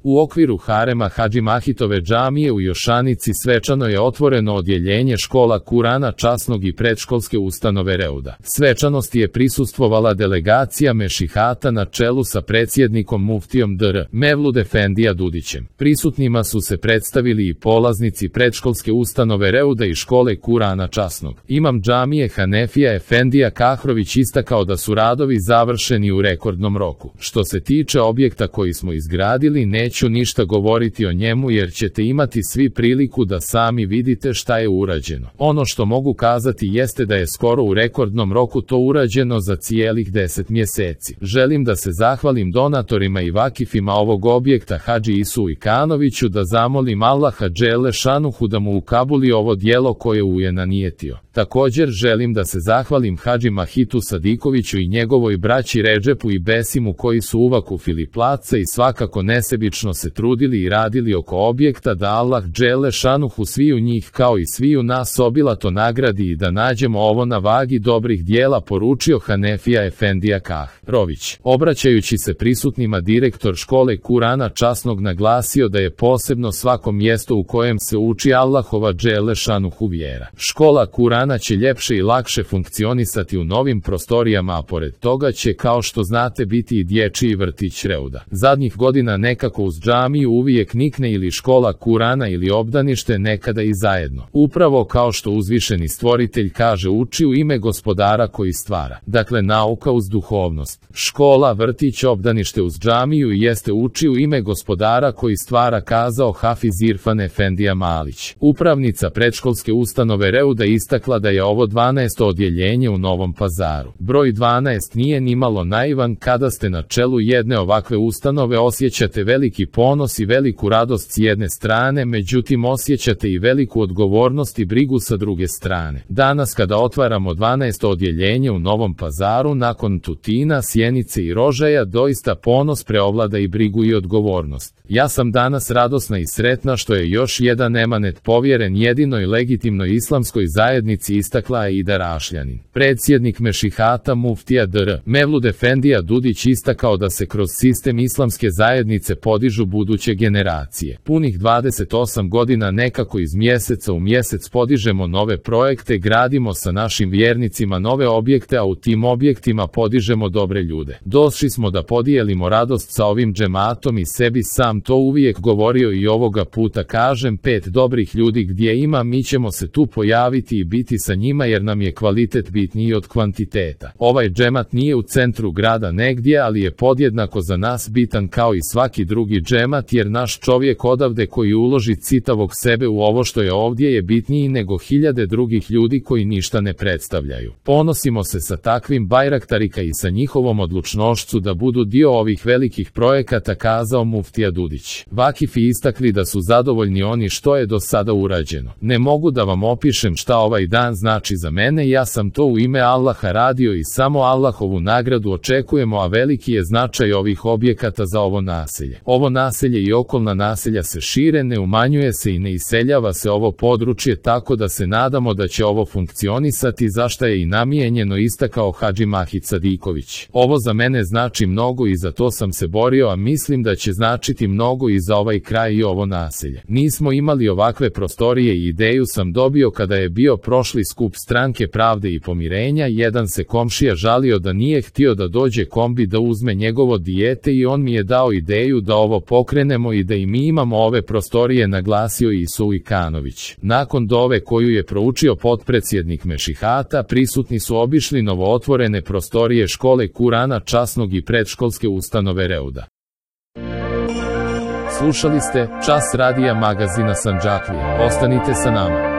U okviru harema Hadži Mahitove džamije u Jošanici svečano je otvoreno odjeljenje škola Kurana časnog i predškolske ustanove Reuda. Svečanosti je prisustvovala delegacija mešihata na čelu sa predsjednikom muftijom dr. Mevlud Efendija Dudićem. Prisutnima su se predstavili i polaznici predškolske ustanove Reuda i škole Kurana časnog. Imam džamije Hanefija Efendija Kahrović istakao da su radovi završeni u rekordnom roku. Što se tiče objekta koji smo izgradili, neću ništa govoriti o njemu jer ćete imati svi priliku da sami vidite šta je urađeno. Ono što mogu kazati jeste da je skoro u rekordnom roku to urađeno za cijelih 10 mjeseci. Želim da se zahvalim donatorima i vakifima ovog objekta Hadži Isu Ikanoviću, da zamolim Allaha dželle šanuhu da mu ukabuli ovo djelo koje je nanijetio. Također želim da se zahvalim Hadži Mahitu Sadikoviću i njegovoj braći Redžepu i Besimu koji su uvakufili placa i svakako nesebično se trudili i radili oko objekta, da Allah dželle šanuhu sviju njih kao i sviju nas obilato nagradi i da nađemo ovo na vagi dobrih dijela, poručio Hanefija Efendija Kahrović. Obraćajući se prisutnima, direktor škole Kurana časnog naglasio da je posebno svako mjesto u kojem se uči Allahova dželle šanuhu vjera. Škola Kurana će ljepše i lakše funkcionisati u novim prostorijama, a pored toga će, kao što znate, biti i dječji vrtić Reuda. Zadnjih godina nekako uz džamiju uvijek nikne ili škola Kurana ili obdanište, nekada i zajedno. Upravo kao što uzvišeni stvoritelj kaže, uči u ime gospodara koji stvara. Dakle, nauka uz duhovnost. Škola, vrtić, obdanište uz džamiju jeste uči u ime gospodara koji stvara, kazao Hafiz Irfan Efendija Malić. Upravnica predškolske ustanove Reuda istakla da je ovo 12. odjeljenje u Novom Pazaru. Broj 12 nije nimalo naivan. Kada ste na čelu jedne ovakve ustanove osjećate veliki ponos i veliku radost s jedne strane, međutim osjećate i veliku odgovornost i brigu sa druge strane. Danas kada otvaramo 12. odjeljenje u Novom Pazaru nakon Tutina, Sjenice i Rožaja, doista ponos preovlada i brigu i odgovornost. Ja sam danas radosna i sretna što je još jedan emanet povjeren jedinoj legitimnoj islamskoj zajednici, istakla je Ida Rašljanin. Predsjednik mešihata muftija dr. Mevlud Efendija Dudić istakao da se kroz sistem islamske zajednice podižu buduće generacije. Punih 28 godina nekako iz mjeseca u mjesec podižemo nove projekte, gradimo sa našim vjernicima nove objekte, a u tim objektima podižemo dobre ljude. Došli smo da podijelimo radost sa ovim džematom i sebi sam to uvijek govorio i ovoga puta kažem, 5 dobrih ljudi gdje ima, mi ćemo se tu pojaviti i biti sa njima jer nam je kvalitet bitniji od kvantiteta. Ovaj džemat nije u centru grada negdje, ali je podjednako za nas bitan kao i svaki drugi džemat, jer naš čovjek odavde koji uloži citavog sebe u ovo što je ovdje je bitniji nego hiljade drugih ljudi koji ništa ne predstavljaju. Ponosimo se sa takvim bajraktarika i sa njihovom odlučnošću da budu dio ovih velikih projekata, kazao muftija Dudić. Vakifi istakli da su zadovoljni oni što je do sada urađeno. Ne mogu da vam opišem šta ovaj dan znači za mene, ja sam to u ime Allaha radio i samo Allahovu nagradu očekujemo, a veliki je značaj ovih objekata za ovo naselje. Ovo naselje i okolna naselja se šire, ne umanjuje se i ne iseljava se ovo područje, tako da se nadamo da će ovo funkcionisati, za šta je i namijenjeno, istakao Hadži Mahit Sadiković. Ovo za mene znači mnogo i za to sam se borio, a mislim da će značiti mnogo i za ovaj kraj i ovo naselje. Nismo imali ovakve prostorije i ideju sam dobio kada je bio prošli skup Stranke pravde i pomirenja. Jedan se komšija žalio da nije htio da dođe kombi da uzme njegovo dijete i on mi je dao ideju da ovo pokrenemo i da i mi imamo ove prostorije, naglasio Isu Ikanović. Nakon dove koju je proučio potpredsjednik mešihata, prisutni su obišli novootvorene prostorije škole Kurana časnog i predškolske ustanove Reuda. Slušali ste Čas radija magazina Sandžaklija. Ostanite sa nama.